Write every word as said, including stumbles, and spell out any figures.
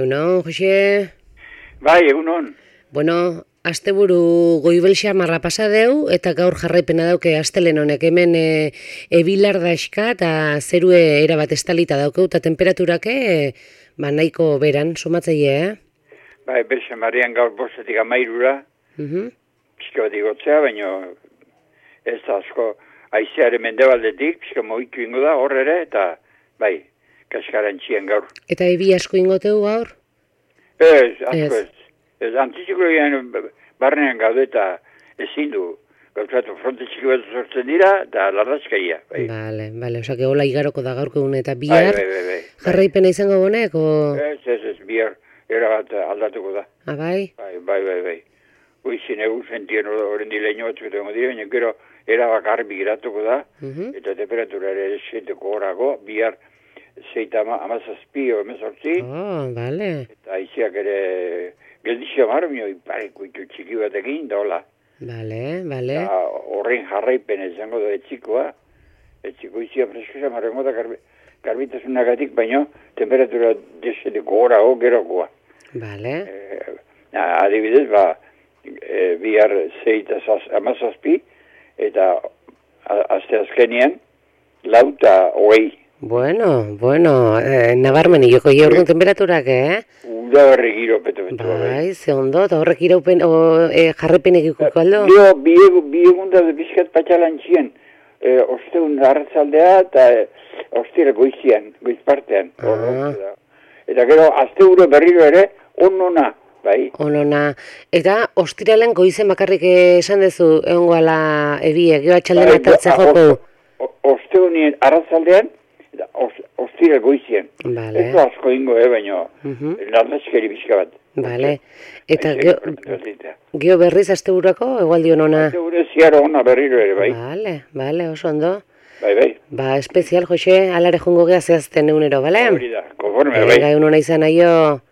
Egunon, Jose? Bai, egunon. Bueno, asteburu goibel xamarra pasa deu, eta gaur jarraipena dauke astelen honek hemen e, ebilar daixka eta zerue erabat estalita daukeu, eta temperaturake e, ba, nahiko beran, somatzaile, eh? Bai, berxe marian gaur bostetik amairura, Mhm. pixka bat igotzea, baina ez da asko aizearen mendebaldetik, pixka moitu ingo da, hor ere, eta bai, kaskaran txien gaur. Eta ebi asko ingoteu gaur? Ez, asko Ez. ez. Ez, antiziklogian barnean gaude eta ezin du. Gauzatu fronte txiki bat sortzen dira, eta larrazkaia. Bai, Bale, bale, osake hola igaroko da gaurko egun eta bai, bihar bai, bai, bai. jarraipena izango bonek, o... Ez, ez, ez, bihar erabat aldatuko da. Ah, bai? Bai, bai, bai, bai. Uizin egun sentien horren dileño batzuk egongo dira, baina gero erabak arbi giratuko da, Mhm. eta temperatura ere seiteko horago, bihar zeita ama, amazazpi o emezortzi, Oh, bale, eta aiziak ere geldizio marmio ipareko itu txiki batekin, da hola. bale, bale. Eta horren jarraipen izango da etxikoa, etxiko izia freskosa marrengo da garbi, garbitasunagatik, baina temperatura deseteko horago gerokoa. Bale, Eh, adibidez, ba, e, bihar zeita amazazpi, eta a- aste azkenean, lauta hogei. bueno, bueno, eh, nabarmen joko jorgun temperaturak, eh? Uda horre giro peto-peto. Bai, ze ondo, eta horrek iraupen, o, e, jarrepenek ikuko aldo? Dio, bi bi egun da bizkat patxalan txien, e, osteun arratzaldea eta e, ostira goizian, goiz partean. Ah. Eta gero, azte uro berriro ere, onona, bai. Onona, eta ostiralen goizen bakarrik esan dezu egongoala ebie, gero atxalden Bai, atartzea o- joko. o- Osteunien arratzaldean, eta os- ostira goizian. Bale. Ez da asko ingo, eh, baina Mhm. nardazkeri bizka bat. Bale, eta Aize, geo, kortikatzita. geo berriz asteburako egualdi onona. Azte ure ziaro ona berriro ere, bai. Bale, bale, oso ondo. Bai, bai. Ba, espezial, Jose, alare jongo gea zehazten egunero, bale? Hori da, konforme, bai. Venga, egun hona izan aio.